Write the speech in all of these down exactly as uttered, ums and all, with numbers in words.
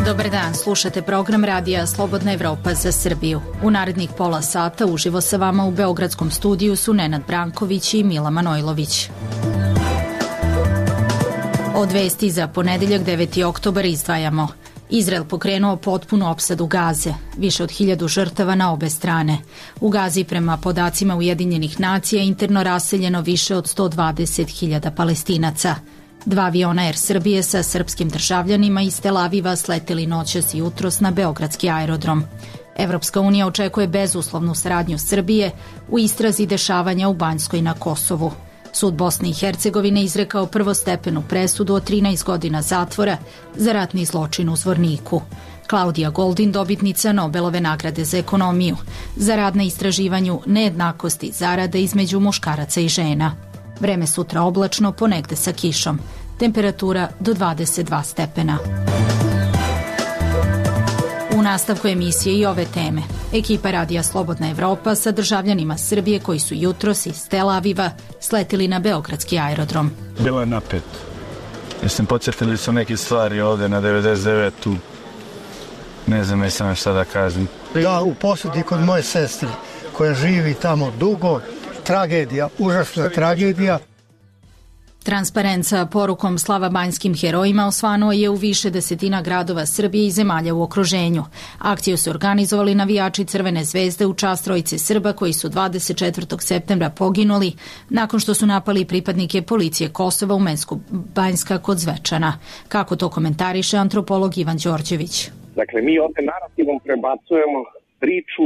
Dobar dan, slušate program radija Slobodna Evropa za Srbiju. U narednih pola sata uživo sa vama u Beogradskom studiju su Nenad Branković i Mila Manojlović. Od vesti za ponedeljak deveti oktobar izdvajamo. Izrael pokrenuo potpunu opsadu Gaze, više od hiljadu žrtava na obe strane. U Gazi prema podacima Ujedinjenih nacija interno raseljeno više od sto dvadeset hiljada Palestinaca. Dva aviona Air Srbije sa srpskim državljanima iz Tel Aviva sleteli noćas i jutros na beogradski aerodrom. Evropska unija očekuje bezuslovnu saradnju Srbije u istrazi dešavanja u Banjskoj na Kosovu. Sud Bosne i Hercegovine izrekao prvostepenu presudu od trinaest godina zatvora za ratni zločin u Zvorniku. Klaudija Goldin, dobitnica Nobelove nagrade za ekonomiju, za rad na istraživanju nejednakosti zarada između muškaraca i žena. Vreme sutra oblačno, ponegde sa kišom. Temperatura do dvadeset dva stepena. U nastavku emisije i ove teme. Ekipa radija Slobodna Evropa sa državljanima Srbije koji su jutros iz Tel Aviva sletili na beogradski aerodrom. Bilo je napet. Jesam podsjetili su neke stvari ovde na devedeset devetu. Ne znam, jesam šta da kažem. Ja u posjeti kod moje sestre koja živi tamo dugo. Tragedija, užasna tragedija. Transparent sa porukom slava banjskim herojima osvanuo je u više desetina gradova Srbije i zemalja u okruženju. Akciju su organizovali navijači Crvene zvezde u čast trojice Srba koji su dvadeset četvrtog septembra poginuli nakon što su napali pripadnike policije Kosova u Mensku Banjska kod Zvečana. Kako to komentariše antropolog Ivan Đorđević? Dakle, mi ovde narativom prebacujemo priču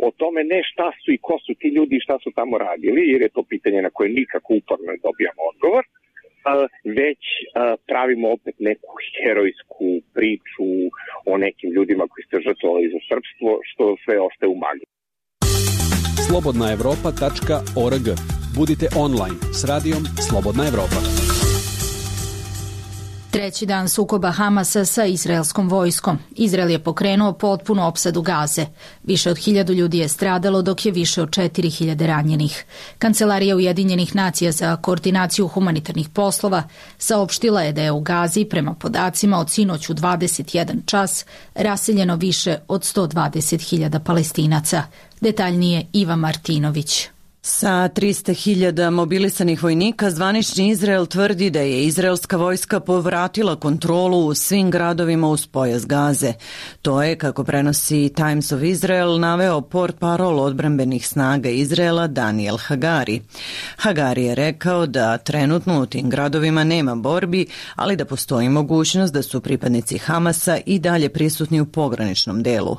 o tome ne šta su i ko su ti ljudi i šta su tamo radili, jer je to pitanje na koje nikako uporno ne dobijamo odgovor, već pravimo opet neku herojsku priču o nekim ljudima koji ste žrtvovali za srpstvo, što sve ostaje u magli. slobodna evropa tačka org. Budite online s radijom Slobodna Evropa. Treći dan sukoba Hamasa sa izraelskom vojskom. Izrael je pokrenuo potpunu opsadu Gaze. Više od hiljadu ljudi je stradalo, dok je više od četiri hiljade ranjenih. Kancelarija Ujedinjenih nacija za koordinaciju humanitarnih poslova saopštila je da je u Gazi, prema podacima od sinoć u dvadeset jedan čas, raseljeno više od sto dvadeset hiljada Palestinaca. Detaljnije Iva Martinović. Sa trista hiljada mobilisanih vojnika, zvanični Izrael tvrdi da je izraelska vojska povratila kontrolu u svim gradovima uz pojas Gaze. To je, kako prenosi Times of Israel, naveo portparol odbrambenih snaga Izraela Daniel Hagari. Hagari je rekao da trenutno u tim gradovima nema borbi, ali da postoji mogućnost da su pripadnici Hamasa i dalje prisutni u pograničnom delu.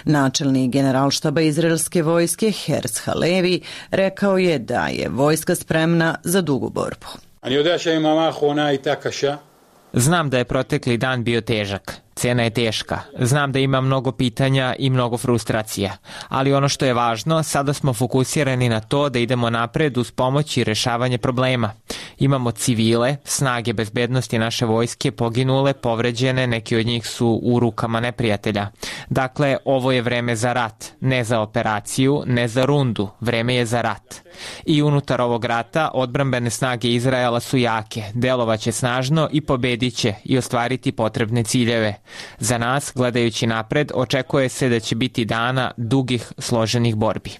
Načelnik generalštaba izraelske vojske Herz Halevi rekao Rekao je da je vojska spremna za dugu borbu. Znam da je protekli dan bio težak. Cena je teška. Znam da ima mnogo pitanja i mnogo frustracija. Ali ono što je važno, sada smo fokusirani na to da idemo napred uz pomoć i rešavanje problema. Imamo civile, snage bezbednosti naše vojske, poginule, povređene, neki od njih su u rukama neprijatelja. Dakle, ovo je vreme za rat, ne za operaciju, ne za rundu, vreme je za rat. I unutar ovog rata odbrambene snage Izraela su jake, delovaće snažno i pobedit će i ostvariti potrebne ciljeve. Za nas, gledajući napred, očekuje se da će biti dana dugih, složenih borbi.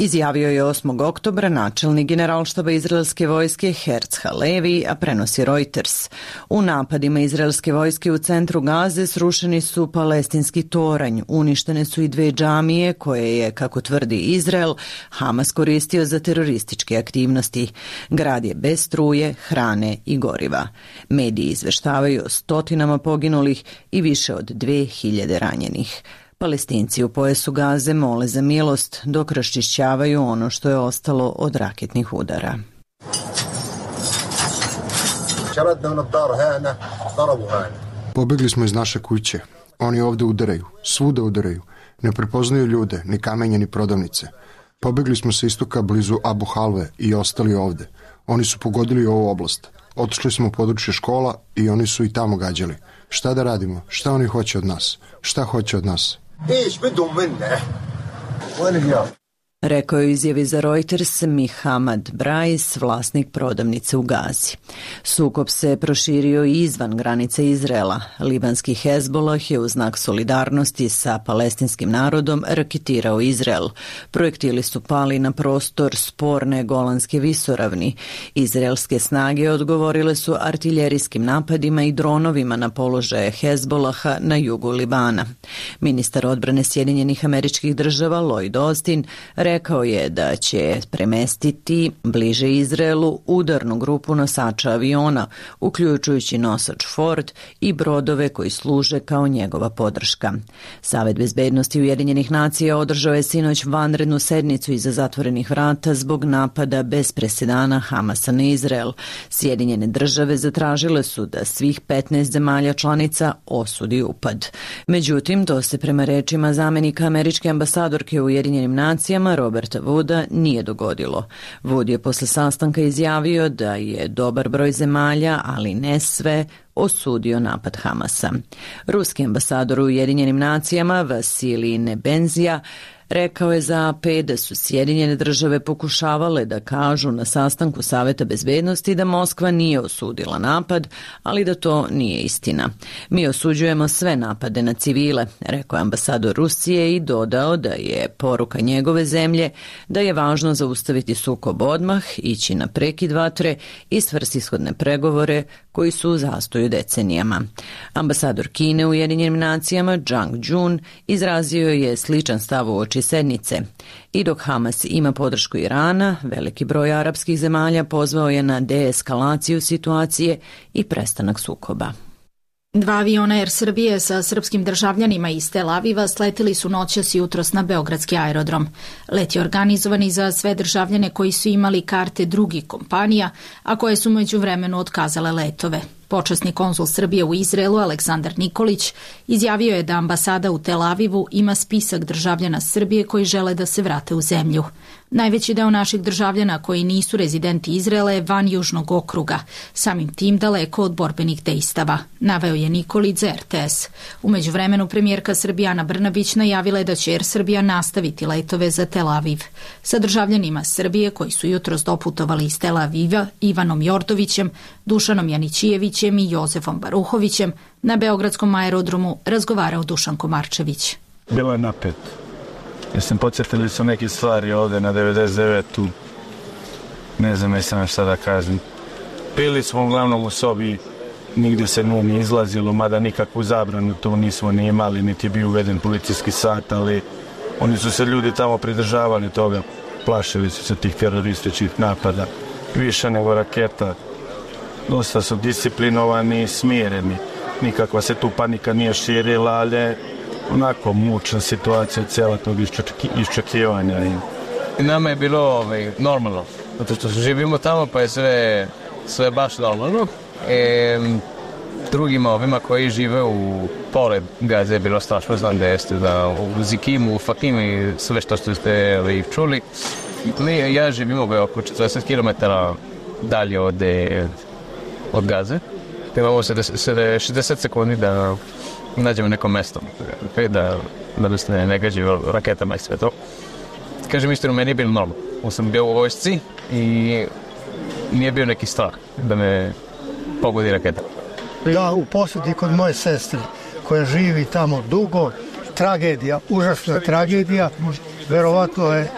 Izjavio je osmog oktobra načelnik generalštaba izraelske vojske Herz Halevi, a prenosi Reuters. U napadima izraelske vojske u centru Gaze srušeni su palestinski toranj, uništene su i dve džamije koje je, kako tvrdi Izrael, Hamas koristio za terorističke aktivnosti. Grad je bez struje, hrane i goriva. Mediji izveštavaju o stotinama poginulih i više od dve hiljade ranjenih. Palestinci u pojasu Gaze mole za milost dok raščišćavaju ono što je ostalo od raketnih udara. Pobegli smo iz naše kuće. Oni ovde udaraju, svuda udaraju. Ne prepoznaju ljude, ni kamenje, ni prodavnice. Pobegli smo sa istoka blizu Abu Halve i ostali ovde. Oni su pogodili ovu oblast. Otišli smo u područje škola i oni su i tamo gađali. Šta da radimo? Šta oni hoće od nas? Šta hoće od nas? Rekao je u izjavi za Reuters Mihamad Brais, vlasnik prodavnice u Gazi. Sukob se proširio i izvan granice Izraela. Libanski Hezbolah je u znak solidarnosti sa palestinskim narodom raketirao Izrael. Projektili su pali na prostor sporne Golanske visoravni. Izraelske snage odgovorile su artiljerijskim napadima i dronovima na položaje Hezbolaha na jugu Libana. Ministar odbrane Sjedinjenih Američkih Država Lloyd Austin rekao je da će premestiti bliže Izraelu udarnu grupu nosača aviona, uključujući nosač Ford i brodove koji služe kao njegova podrška. Savet bezbednosti Ujedinjenih nacija održao je sinoć vanrednu sednicu iza zatvorenih vrata zbog napada bez presedana Hamasa na Izrael. Sjedinjene države zatražile su da svih petnaest zemalja članica osudi upad. Međutim, to se prema rečima zamenika američke ambasadorke u Ujedinjenim nacijama Roberta Wooda nije dogodilo. Wood je posle sastanka izjavio da je dobar broj zemalja, ali ne sve, osudio napad Hamasa. Ruski ambasador u Ujedinjenim nacijama Vasilij Nebenzija rekao je za A P da su Sjedinjene države pokušavale da kažu na sastanku Saveta bezbednosti da Moskva nije osudila napad, ali da to nije istina. Mi osuđujemo sve napade na civile, rekao je ambasador Rusije i dodao da je poruka njegove zemlje da je važno zaustaviti sukob odmah, ići na prekid vatre i svrsishodne pregovore koji su u zastoju decenijama. Ambasador Kine u Ujedinjenim nacijama Zhang Jun izrazio je sličan stav u oči sednice. I dok Hamas ima podršku Irana, veliki broj arapskih zemalja pozvao je na deeskalaciju situacije i prestanak sukoba. Dva aviona Air Srbije sa srpskim državljanima iz Tel Aviva sletili su noćas i jutros na beogradski aerodrom. Let je organizovan za sve državljane koji su imali karte drugih kompanija, a koje su međuvremenu otkazale letove. Počasni konzul Srbije u Izraelu Aleksandar Nikolić izjavio je da ambasada u Tel Avivu ima spisak državljana Srbije koji žele da se vrate u zemlju. Najveći deo naših državljana koji nisu rezidenti Izraela je van južnog okruga, samim tim daleko od borbenih dejstava, naveo je Nikolić za R T S. U međuvremenu premijerka Srbije Ana Brnabić najavila je da će Air Srbija nastaviti letove za Tel Aviv. Sa državljanima Srbije koji su jutros doputovali iz Tel Aviva Ivanom Jordovićem, Dušanom Janićijevićem i Jozefom Baruhovićem na beogradskom aerodromu razgovarao Dušan Komarčević. Bilo je napet. Jesam podsjetili su neke stvari ovde na devedeset devetu. Ne znam jesam šta da kažem. Pili smo uglavnom u sobi, nigdje se nije ni izlazilo, mada nikakvu zabranu to nismo ni imali, niti je bio uveden policijski sat, ali oni su se ljudi tamo pridržavali toga, plašili su se tih terorističkih napada, više nego raketa. Dosta su disciplinovani i smireni, nikakva se tu panika nije širila, ali onako mučna situacija cijela tog iščekivanja. I nama je bilo ovaj, normalno, zato što živimo tamo pa je sve, sve baš normalno. E, drugima ovima koji žive u pored Gaze je bilo strašno, znam da jeste da u Zikimu, u Fakimi, sve što ste ovaj, čuli. Mi, ja živim oko četrdeset kilometara dalje od, od Gaze. Imamo šezdeset sekundi da nađemo neko mesto, da, da se ne gađe raketama i sve to. Kažem istinu, meni je bilo normalno. Ja sam bio u vojsci i nije bio neki strah da me pogodi raketa. Ja u posjeti kod moje sestre koja živi tamo dugo, tragedija, užasna tragedija, verovatno je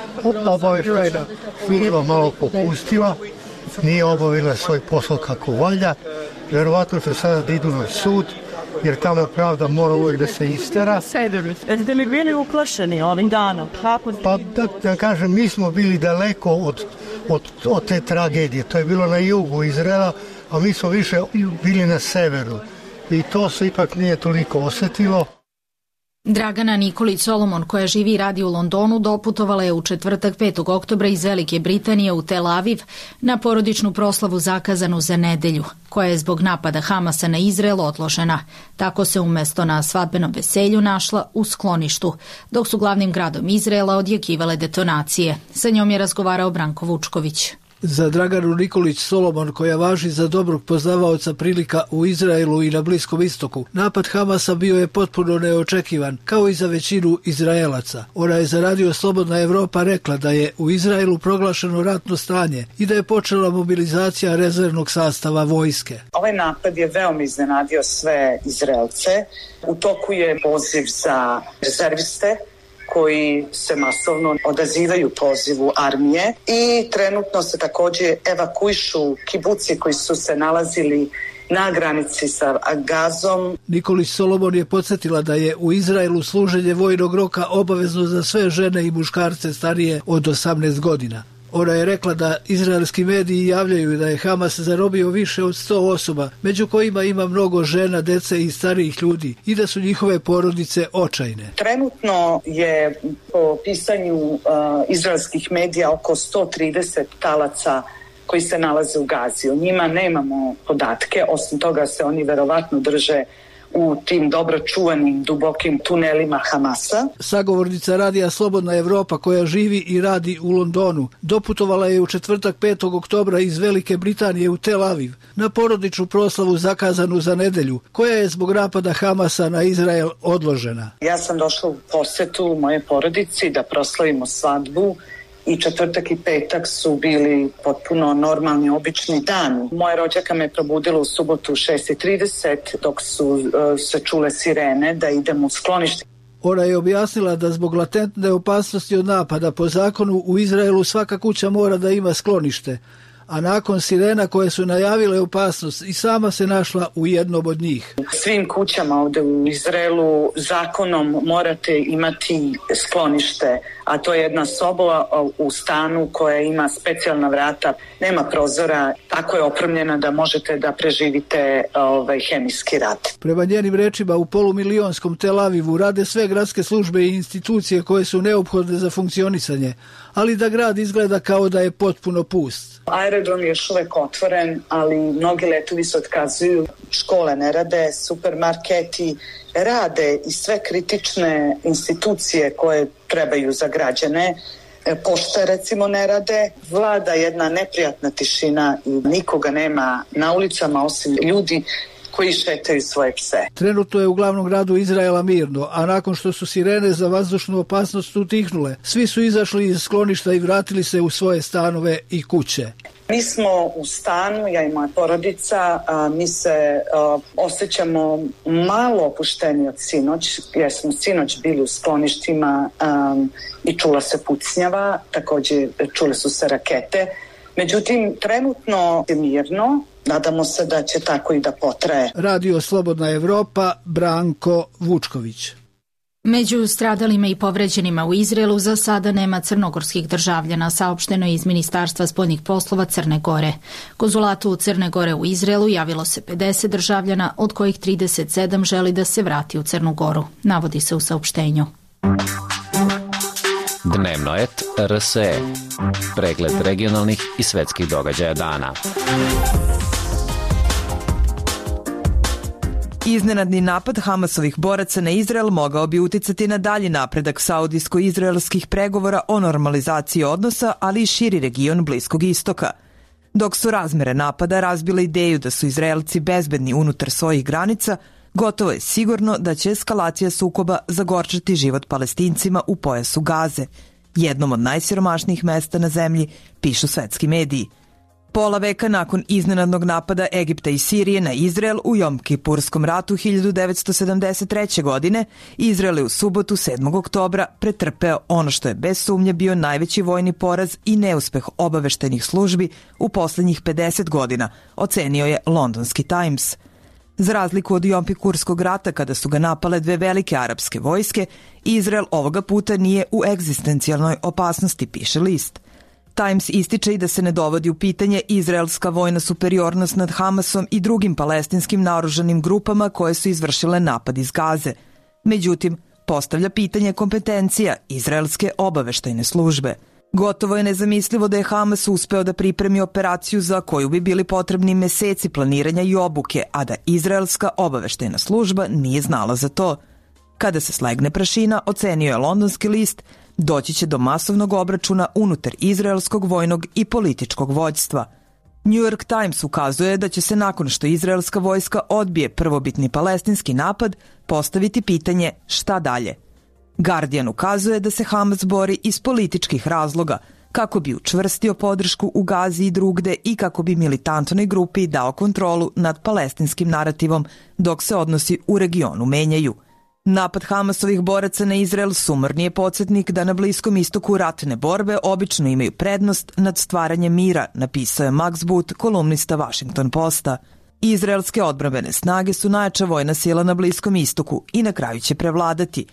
obavještajna služba malo popustila, nije obavila svoj posao kako valja, verovatno će sada da idu na sud, jer tamo pravda mora uvijek da se istera. Jeste li bili uplašeni ovim danom? Pa da, da kažem, mi smo bili daleko od, od, od te tragedije. To je bilo na jugu Izraela, a mi smo više bili na severu. I to se ipak nije toliko osjetilo. Dragana Nikolić Solomon, koja živi i radi u Londonu, doputovala je u četvrtak petog oktobra iz Velike Britanije u Tel Aviv na porodičnu proslavu zakazanu za nedelju, koja je zbog napada Hamasa na Izrael odložena. Tako se umesto na svadbenom veselju našla u skloništu, dok su glavnim gradom Izraela odjekivale detonacije. Sa njom je razgovarao Branko Vučković. Za Draganu Nikolić Solomon, koja važi za dobrog poznavaoca prilika u Izraelu i na Bliskom istoku, napad Hamasa bio je potpuno neočekivan, kao i za većinu Izraelaca. Ona je za Radio Slobodna Evropa rekla da je u Izraelu proglašeno ratno stanje i da je počela mobilizacija rezervnog sastava vojske. Ovaj napad je veoma iznenadio sve Izraelce. U toku je poziv za rezerviste koji se masovno odazivaju pozivu armije i trenutno se također evakuišu kibuci koji su se nalazili na granici sa Gazom. Nikolić Solomon je podsjetila da je u Izraelu služenje vojnog roka obavezno za sve žene i muškarce starije od osamnaest godina. Ona je rekla da izraelski mediji javljaju da je Hamas zarobio više od sto osoba, među kojima ima mnogo žena, dece i starijih ljudi i da su njihove porodice očajne. Trenutno je po pisanju uh, izraelskih medija oko sto trideset talaca koji se nalaze u Gazi. O njima nemamo podatke, osim toga se oni verovatno drže u tim dobro čuvanim dubokim tunelima Hamasa. Sagovornica Radija Slobodna Evropa, koja živi i radi u Londonu, doputovala je u četvrtak petog oktobra iz Velike Britanije u Tel Aviv na porodičnu proslavu zakazanu za nedelju, koja je zbog napada Hamasa na Izrael odložena. Ja sam došla u posetu moje porodici da proslavimo svadbu i četvrtak i petak su bili potpuno normalni, obični dani. Moja rođaka me probudila u subotu u šest i trideset dok su uh, se čule sirene da idemo u sklonište. Ona je objasnila da zbog latentne opasnosti od napada po zakonu u Izraelu svaka kuća mora da ima sklonište, a nakon sirena koje su najavile opasnost i sama se našla u jednom od njih. Svim kućama ovde u Izraelu zakonom morate imati sklonište, a to je jedna soba u stanu koja ima specijalna vrata, nema prozora, tako je opremljena da možete da preživite ovaj hemijski rat. Prema njenim rečima, u polumilionskom Tel Avivu rade sve gradske službe i institucije koje su neophodne za funkcionisanje, ali da grad izgleda kao da je potpuno pust. Aerodrom je još uvek otvoren, ali mnogi letovi se otkazuju, škole ne rade, supermarketi rade i sve kritične institucije koje trebaju za građane. Pošta recimo ne rade, vlada jedna neprijatna tišina i nikoga nema na ulicama osim ljudi koji šetaju svoje pse. Trenutno je u glavnom gradu Izraela mirno, a nakon što su sirene za vazdušnu opasnost utihnule, svi su izašli iz skloništa i vratili se u svoje stanove i kuće. Mi smo u stanu, ja i moja porodica, a, mi se a, osjećamo malo opušteni od sinoć, jer smo sinoć bili u skloništima a, i čula se pucnjava, također čule su se rakete. Međutim, trenutno je mirno, nadamo se da će tako i da potraje. Radio Slobodna Evropa, Branko Vučković. Među stradalima i povređenima u Izraelu za sada nema crnogorskih državljana, saopšteno je iz Ministarstva spoljnih poslova Crne Gore. Konzulatu Crne Gore u Izraelu javilo se pedeset državljana, od kojih trideset sedam želi da se vrati u Crnu Goru, navodi se u saopštenju. Dnevno et R S E. Pregled regionalnih i svetskih događaja dana. Iznenadni napad Hamasovih boraca na Izrael mogao bi uticati na dalji napredak saudijsko-izraelskih pregovora o normalizaciji odnosa, ali i širi region Bliskog istoka. Dok su razmere napada razbile ideju da su Izraelci bezbedni unutar svojih granica, gotovo je sigurno da će eskalacija sukoba zagorčati život Palestincima u pojasu Gaze, jednom od najsiromašnijih mesta na zemlji, pišu svetski mediji. Pola veka nakon iznenadnog napada Egipta i Sirije na Izrael u Jom-Kipurskom ratu hiljadu devetsto sedamdeset treće. godine, Izrael je u subotu sedmog oktobra pretrpeo ono što je bez sumnje bio najveći vojni poraz i neuspeh obaveštajnih službi u poslednjih pedeset godina, ocenio je londonski Times. Za razliku od Jom-Kippurskog rata kada su ga napale dve velike arapske vojske, Izrael ovoga puta nije u egzistencijalnoj opasnosti, piše list. Times ističe i da se ne dovodi u pitanje izraelska vojna superiornost nad Hamasom i drugim palestinskim naoružanim grupama koje su izvršile napad iz Gaze. Međutim, postavlja pitanje kompetencija izraelske obaveštajne službe. Gotovo je nezamislivo da je Hamas uspeo da pripremi operaciju za koju bi bili potrebni meseci planiranja i obuke, a da izraelska obaveštajna služba nije znala za to. Kada se slegne prašina, ocenio je londonski list, Doći će do masovnog obračuna unutar izraelskog vojnog i političkog vođstva. New York Times ukazuje da će se nakon što izraelska vojska odbije prvobitni palestinski napad postaviti pitanje šta dalje. Guardian ukazuje da se Hamas bori iz političkih razloga, kako bi učvrstio podršku u Gazi i drugde i kako bi militantnoj grupi dao kontrolu nad palestinskim narativom dok se odnosi u regionu menjaju. Napad Hamasovih boraca na Izrael sumorni je podsjetnik da na Bliskom istoku ratne borbe obično imaju prednost nad stvaranjem mira, napisao je Max Boot, kolumnista Washington Posta. Izraelske odbrambene snage su najjača vojna sila na Bliskom istoku i na kraju će prevladati.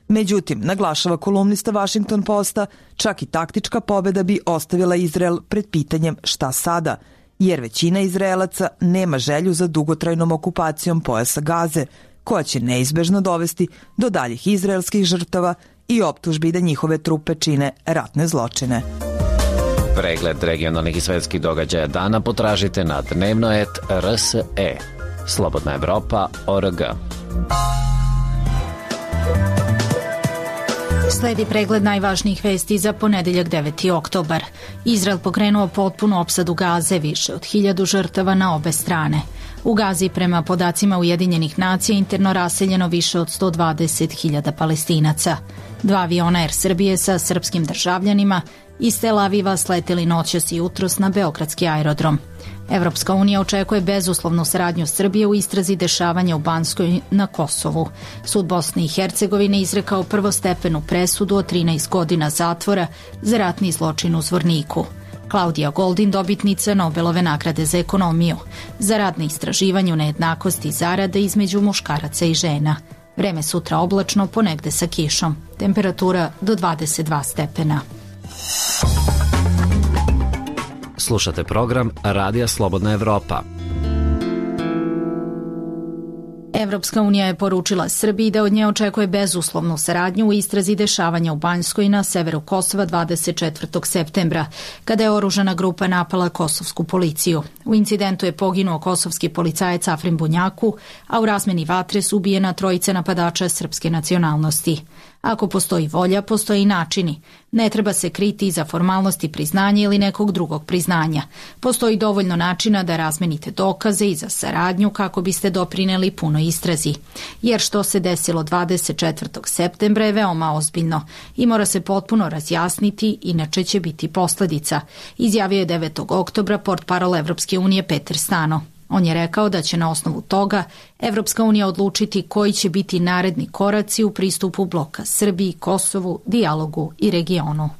Međutim, naglašava kolumnista Washington Posta, čak i taktička pobeda bi ostavila Izrael pred pitanjem šta sada, jer većina Izraelaca nema želju za dugotrajnom okupacijom pojasa Gaze, koja će neizbežno dovesti do daljih izraelskih žrtava i optužbi da njihove trupe čine ratne zločine. Pregled regionalnih i svetskih događaja dana potražite na dnevno et er es e. Slobodna Evropa tačka org. Sledi pregled najvažnijih vesti za ponedeljak deveti oktobar. Izrael pokrenuo potpunu opsadu Gaze, više od hiljadu žrtava na obe strane. U Gazi, prema podacima Ujedinjenih nacija, interno raseljeno više od sto dvadeset hiljada Palestinaca. Dva aviona Er Srbije sa srpskim državljanima iz Tel Aviva sleteli noćas i jutros na beogradski aerodrom. Evropska unija očekuje bezuslovnu saradnju Srbije u istrazi dešavanja u Banskoj na Kosovu. Sud Bosne i Hercegovine izrekao prvostepenu presudu od trinaest godina zatvora za ratni zločin u Zvorniku. Klaudija Goldin, dobitnica Nobelove nagrade za ekonomiju, za rad na istraživanju nejednakosti zarade između muškaraca i žena. Vreme sutra oblačno, ponegde sa kišom. Temperatura do dvadeset dva stepena. Slušate program Radija Slobodna Evropa. Evropska unija je poručila Srbiji da od nje očekuje bezuslovnu saradnju u istrazi dešavanja u Banjskoj na severu Kosova dvadeset četvrtog septembra, kada je oružana grupa napala kosovsku policiju. U incidentu je poginuo kosovski policajac Afrim Bunjaku, a u razmeni vatre su ubijena trojica napadača srpske nacionalnosti. Ako postoji volja, postoji i načini. Ne treba se kriti iza formalnosti priznanja ili nekog drugog priznanja. Postoji dovoljno načina da razmenite dokaze i za saradnju kako biste doprineli punoj istrazi. Jer što se desilo dvadeset četvrtog septembra je veoma ozbiljno i mora se potpuno razjasniti, inače će biti posledica, izjavio je devetog oktobra portparol Evropske unije Peter Stano. On je rekao da će na osnovu toga Evropska unija odlučiti koji će biti naredni koraci u pristupu bloka Srbiji, Kosovu, dijalogu i regionu.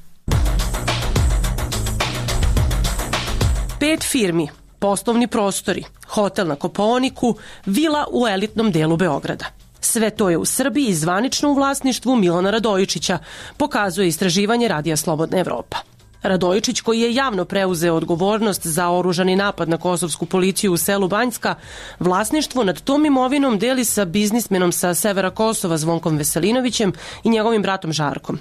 Pet firmi, poslovni prostori, hotel na Kopaoniku, vila u elitnom delu Beograda. Sve to je u Srbiji i zvanično u vlasništvu Milana Radojičića, pokazuje istraživanje Radija Slobodna Evropa. Radojičić, koji je javno preuzeo odgovornost za oružani napad na kosovsku policiju u selu Banjska, vlasništvo nad tom imovinom deli sa biznismenom sa severa Kosova Zvonkom Veselinovićem i njegovim bratom Žarkom.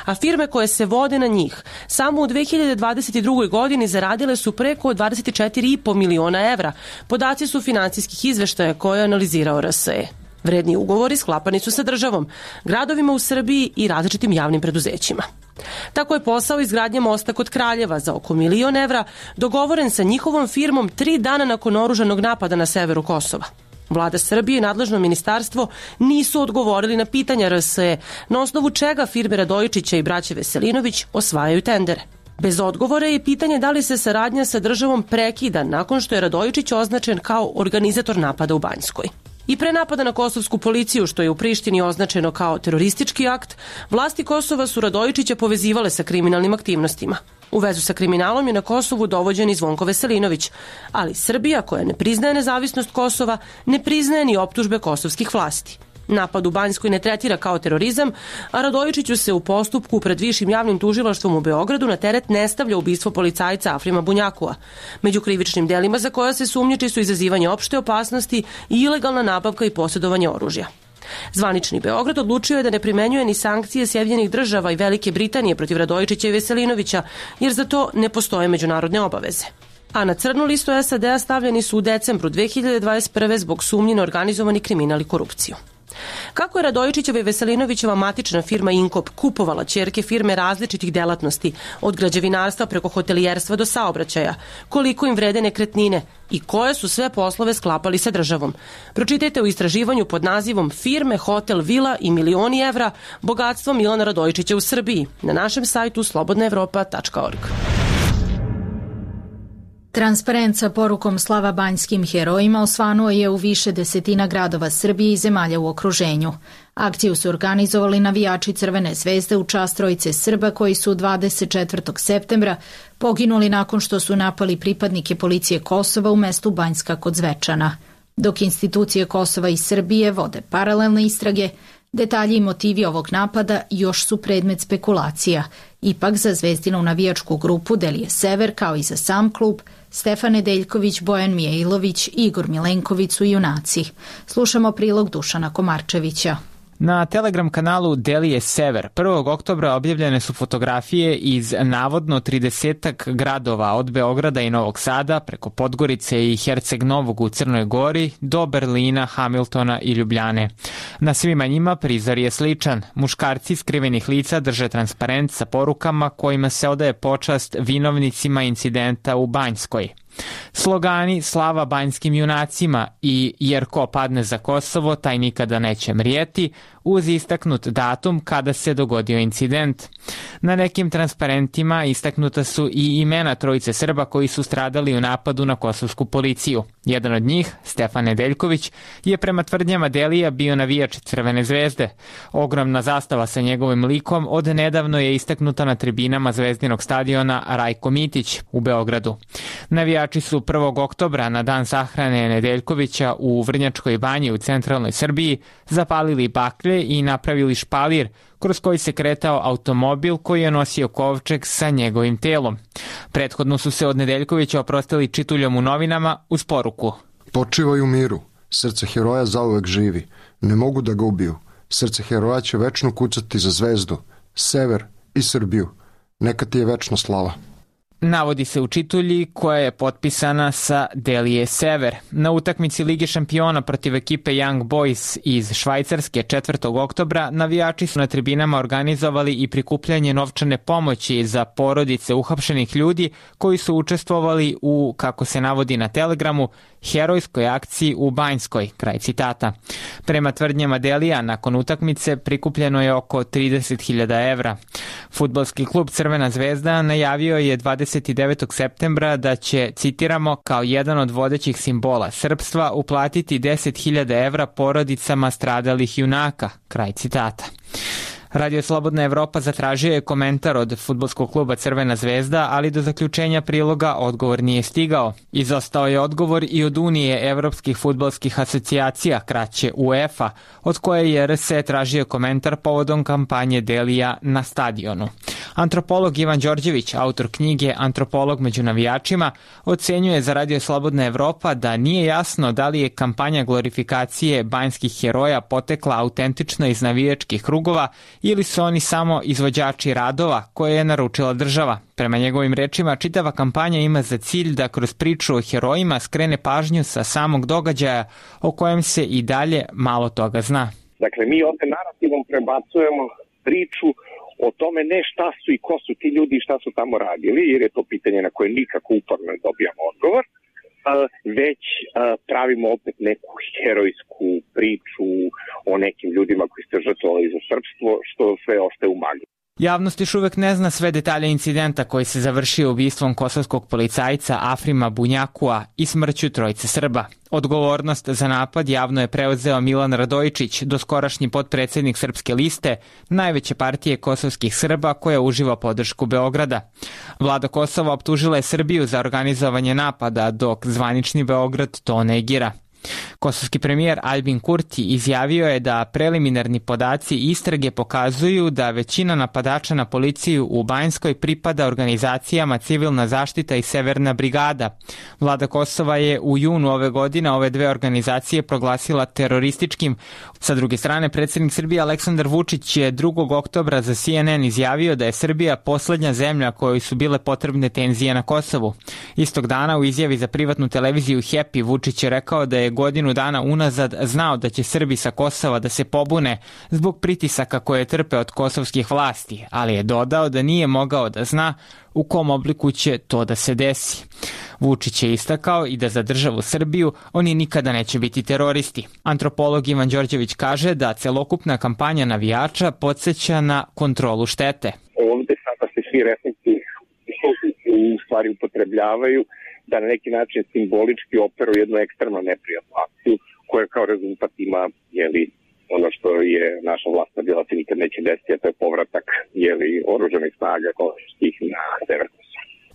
A firme koje se vode na njih samo u dve hiljade dvadeset drugoj godini zaradile su preko dvadeset četiri i po miliona evra. Podaci su finansijskih izveštaja koje je analizirao R S E. Vredni ugovori sklapani su sa državom, gradovima u Srbiji i različitim javnim preduzećima. Tako je posao izgradnje mosta kod Kraljeva za oko milion evra dogovoren sa njihovom firmom tri dana nakon oružanog napada na severu Kosova. Vlada Srbije i nadležno ministarstvo nisu odgovorili na pitanja R S E, na osnovu čega firme Radojičića i braće Veselinović osvajaju tendere. Bez odgovora je pitanje da li se saradnja sa državom prekida nakon što je Radojičić označen kao organizator napada u Banjskoj. I pre napada na kosovsku policiju, što je u Prištini označeno kao teroristički akt, vlasti Kosova su Radojičića povezivale sa kriminalnim aktivnostima. U vezu sa kriminalom je na Kosovu dovođen i Zvonko Veselinović, ali Srbija, koja ne priznaje nezavisnost Kosova, ne priznaje ni optužbe kosovskih vlasti. Napad u Banjskoj ne tretira kao terorizam, a Radojičiću se u postupku pred Višim javnim tužilaštvom u Beogradu na teret ne stavlja ubistvo policajca Afrima Bunjakua. Među krivičnim delima za koja se sumnjiči su izazivanje opšte opasnosti i ilegalna nabavka i posjedovanje oružja. Zvanični Beograd odlučio je da ne primenjuje ni sankcije Sjedinjenih država i Velike Britanije protiv Radojičića i Veselinovića, jer za to ne postoje međunarodne obaveze. A na crnu listu S A D-a stavljeni su u decembru dve hiljade dvadeset prve zbog sumnji na organizovani kriminal i korupciju. Kako je Radojičićeva i Veselinovićeva matična firma Inkop kupovala ćerke firme različitih delatnosti, od građevinarstva preko hotelijerstva do saobraćaja, koliko im vrede nekretnine i koje su sve poslove sklapali sa državom. Pročitajte u istraživanju pod nazivom Firme, hotel, vila i milioni evra, bogatstvo Milana Radojičića u Srbiji na našem sajtu slobodna evropa tačka org. Transparent sa porukom slava banjskim herojima osvanuo je u više desetina gradova Srbije i zemalja u okruženju. Akciju su organizovali navijači Crvene zvezde u čast trojice Srba koji su dvadeset četvrtog septembra poginuli nakon što su napali pripadnike policije Kosova u mestu Banjska kod Zvečana. Dok institucije Kosova i Srbije vode paralelne istrage, detalji i motivi ovog napada još su predmet spekulacija. Ipak za Zvezdinu navijačku grupu Delije Sever, kao i za sam klub, Stefan Nedeljković, Bojan Mijailović i Igor Milenković su junaci. Slušamo prilog Dušana Komarčevića. Na Telegram kanalu Delije Sever prvog oktobra objavljene su fotografije iz navodno tridesetak gradova od Beograda i Novog Sada preko Podgorice i Herceg Novog u Crnoj Gori do Berlina, Hamiltona i Ljubljane. Na svima njima prizor je sličan. Muškarci skrivenih lica drže transparent sa porukama kojima se odaje počast vinovnicima incidenta u Banjskoj. Slogani slava banjskim junacima i jer ko padne za Kosovo, taj nikada neće mrijeti, uz istaknut datum kada se dogodio incident. Na nekim transparentima istaknuta su i imena trojice Srba koji su stradali u napadu na kosovsku policiju. Jedan od njih, Stefan Nedeljković, je prema tvrdnjama Delija bio navijač Crvene zvezde. Ogromna zastava sa njegovim likom od nedavno je istaknuta na tribinama Zvezdinog stadiona Rajko Mitić u Beogradu. Navijači su prvog oktobra na dan sahrane Nedeljkovića u Vrnjačkoj banji u centralnoj Srbiji zapalili baklje i napravili špalir kroz koji se kretao automobil koji je nosio kovčeg sa njegovim telom. Prethodno su se od Nedeljkovića oprostili čituljom u novinama uz poruku: Počivaj u miru, srce heroja zauvek živi, ne mogu da ga ubiju, srce heroja će večno kucati za Zvezdu, Sever i Srbiju, neka ti je večna slava. Navodi se u čitulji koja je potpisana sa Delije Sever. Na utakmici Lige šampiona protiv ekipe Young Boys iz Švajcarske četvrtog oktobra navijači su na tribinama organizovali i prikupljanje novčane pomoći za porodice uhapšenih ljudi koji su učestvovali u, kako se navodi na Telegramu, herojskoj akciji u Banjskoj, kraj citata. Prema tvrdnjama Delija, nakon utakmice prikupljeno je oko trideset hiljada evra. Fudbalski klub Crvena zvezda najavio je dvadeset devetog septembra da će, citiramo, kao jedan od vodećih simbola srpstva uplatiti deset hiljada evra porodicama stradalih junaka, kraj citata. Radio Slobodna Evropa zatražio je komentar od fudbalskog kluba Crvena zvezda, ali do zaključenja priloga odgovor nije stigao. Izostao je odgovor i od Unije evropskih fudbalskih asocijacija, kraće UEFA, od koje je R S E tražio komentar povodom kampanje Delija na stadionu. Antropolog Ivan Đorđević, autor knjige Antropolog među navijačima, ocenjuje za Radio Slobodna Evropa da nije jasno da li je kampanja glorifikacije banjskih heroja potekla autentično iz navijačkih krugova ili su oni samo izvođači radova koje je naručila država. Prema njegovim rečima, čitava kampanja ima za cilj da kroz priču o herojima skrene pažnju sa samog događaja o kojem se i dalje malo toga zna. Dakle, mi ovde narativom prebacujemo priču o tome ne šta su i ko su ti ljudi i šta su tamo radili, jer je to pitanje na koje nikako uporno ne dobijamo odgovor, već pravimo opet neku herojsku priču o nekim ljudima koji ste žrtvovali za srpstvo, što sve ostaje u magli. Javnost još uvek ne zna sve detalje incidenta koji se završio ubistvom kosovskog policajca Afrima Bunjakua i smrću trojice Srba. Odgovornost za napad javno je preuzeo Milan Radojičić, doskorašnji potpredsednik Srpske liste, najveće partije kosovskih Srba koja uživa podršku Beograda. Vlada Kosova optužila je Srbiju za organizovanje napada, dok zvanični Beograd to negira. Kosovski premijer Albin Kurti izjavio je da preliminarni podaci istrage pokazuju da većina napadača na policiju u Banjskoj pripada organizacijama Civilna zaštita i Severna brigada. Vlada Kosova je u junu ove godine ove dve organizacije proglasila terorističkim. Sa druge strane, predsjednik Srbije Aleksandar Vučić je drugog oktobra za C N N izjavio da je Srbija poslednja zemlja kojoj su bile potrebne tenzije na Kosovu. Istog dana u izjavi za privatnu televiziju Happy Vučić je rekao da je godinu dana unazad znao da će Srbi sa Kosova da se pobune zbog pritisaka koje trpe od kosovskih vlasti, ali je dodao da nije mogao da zna u kom obliku će to da se desi. Vučić je istakao i da za državu Srbiju oni nikada neće biti teroristi. Antropolog Ivan Đorđević kaže da celokupna kampanja navijača podsjeća na kontrolu štete. Ovde sada se svi resnici u stvari upotrebljavaju da na neki način simbolički operuju jednu ekstremno neprijatnu akciju koja kao rezultat ima jeli, ono što je naša vlast bila se nikad neće desiti, a to je povratak jeli, oružanih snaga kosovskih na sever Kosova.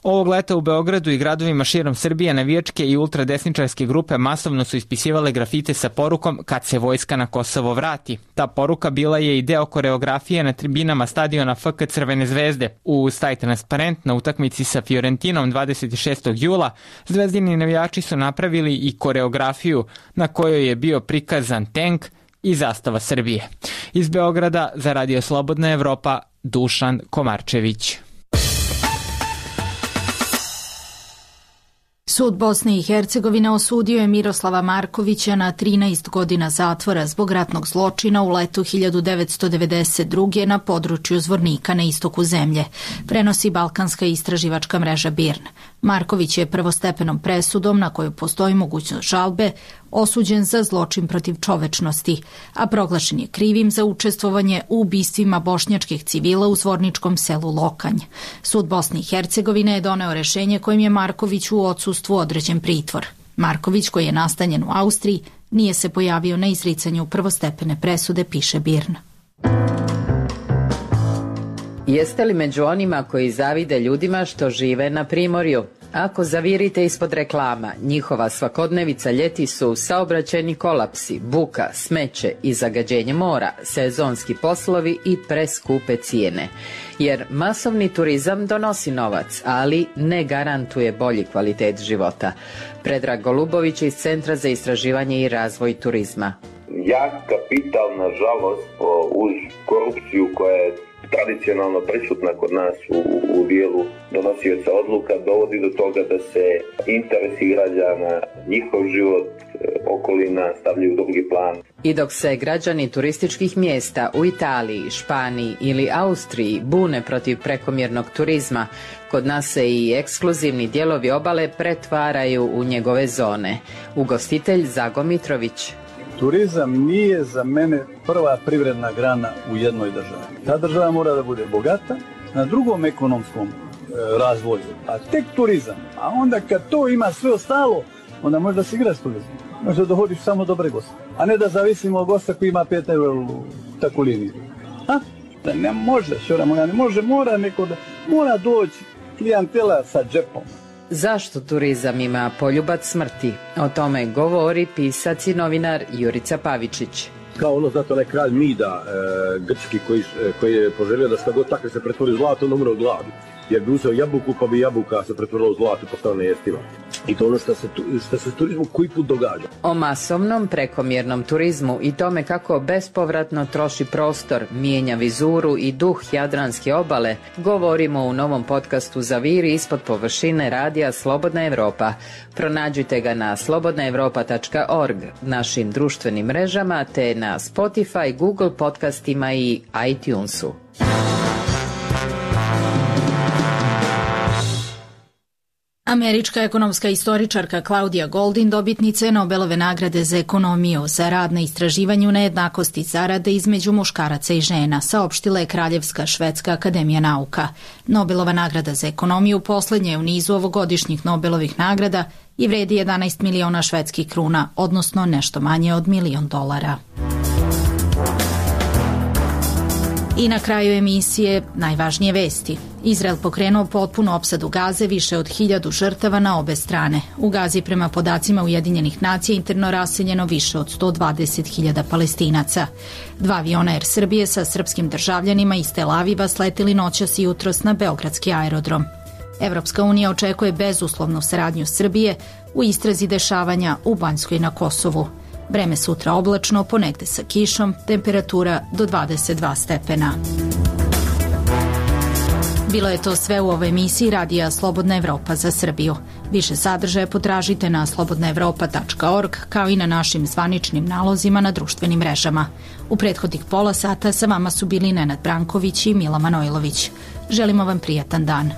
Ovog leta u Beogradu i gradovima širom Srbije navijačke i ultradesničarske grupe masovno su ispisivale grafite sa porukom kad se vojska na Kosovo vrati. Ta poruka bila je i deo koreografije na tribinama stadiona F K Crvene zvezde. Uz taj transparent na utakmici sa Fiorentinom dvadeset šestog jula zvezdini navijači su napravili i koreografiju na kojoj je bio prikazan tenk i zastava Srbije. Iz Beograda za Radio Slobodna Evropa, Dušan Komarčević. Sud Bosne i Hercegovine osudio je Miroslava Markovića na trinaest godina zatvora zbog ratnog zločina u letu hiljadu devetsto devedeset druge. na području Zvornika na istoku zemlje, prenosi balkanska istraživačka mreža B I R N. Marković je prvostepenom presudom, na koju postoji mogućnost žalbe, osuđen za zločin protiv čovečnosti, a proglašen je krivim za učestvovanje u ubistvima bošnjačkih civila u zvorničkom selu Lokanj. Sud Bosne i Hercegovine je doneo rešenje kojim je Marković u odsustvu određen pritvor. Marković, koji je nastanjen u Austriji, nije se pojavio na izricanju prvostepene presude, piše B I R N. Jeste li među onima koji zavide ljudima što žive na primorju? Ako zavirite ispod reklama, njihova svakodnevica ljeti su saobraćajni kolapsi, buka, smeće i zagađenje mora, sezonski poslovi i preskupe cijene. Jer masovni turizam donosi novac, ali ne garantuje bolji kvalitet života. Predrag Golubović iz Centra za istraživanje i razvoj turizma. Jak kapital, nažalost, uz korupciju koja je tradicionalno prisutna kod nas u, u dijelu donosioca odluka, dovodi do toga da se interesi građana, njihov život, okolina stavljaju u drugi plan. I dok se građani turističkih mjesta u Italiji, Španiji ili Austriji bune protiv prekomjernog turizma, kod nas se i ekskluzivni dijelovi obale pretvaraju u njegove zone. Ugostitelj Zago Mitrović. Turizam nije za mene prva privredna grana u jednoj državi. Ta država mora da bude bogata na drugom ekonomskom e, razvoju, a tek turizam. A onda kad to ima sve ostalo, onda možda se igra s turizmom. Možda dohodiš samo dobre goste. A ne da zavisimo od gosta koji ima pet eura u takvu liniju. A? Da ne može, šora moja, ne može, mora neko da, mora doći klijentela sa džepom. Zašto turizam ima poljubac smrti? O tome govori pisac i novinar Jurica Pavičić. Kao ono, zato onaj kralj Mida, e, grčki, koji, koji je poželio da šta god takve se pretvori u zlato, on umre od gladi. Jer bi uzeo jabuku, pa bi jabuka se pretvorila u zlato, postala nejestiva. I to ono što se, što se turizmu koji put događa. O masovnom prekomjernom turizmu i tome kako bespovratno troši prostor, mijenja vizuru i duh jadranske obale, govorimo u novom podcastu Zaviri ispod površine radija Slobodna Evropa. Pronađite ga na slobodna evropa tačka org, našim društvenim mrežama, te na Spotify, Google podcastima i iTunesu. Američka ekonomska istoričarka Claudia Goldin dobitnica je Nobelove nagrade za ekonomiju za rad na istraživanju nejednakosti zarade između muškaraca i žena, saopštila je Kraljevska švedska akademija nauka. Nobelova nagrada za ekonomiju poslednja je u nizu ovogodišnjih Nobelovih nagrada i vredi jedanaest miliona švedskih kruna, odnosno nešto manje od milion dolara. I na kraju emisije najvažnije vesti. Izrael pokrenuo potpunu opsadu Gaze, više od hiljadu žrtava na obe strane. U Gazi prema podacima Ujedinjenih nacija interno raseljeno više od sto dvadeset hiljada Palestinaca. Dva aviona Air Srbije sa srpskim državljanima iz Tel Aviva sleteli noćas i jutros na beogradski aerodrom. Evropska unija očekuje bezuslovnu saradnju Srbije u istrazi dešavanja u Banjskoj i na Kosovu. Vreme sutra oblačno, ponegde sa kišom, temperatura do dvadeset dva stepena. Bilo je to sve u ovoj emisiji Radija Slobodna Evropa za Srbiju. Više sadržaja potražite na slobodna evropa tačka org kao i na našim zvaničnim nalozima na društvenim mrežama. U prethodnih pola sata sa vama su bili Nenad Branković i Mila Manojlović. Želimo vam prijatan dan.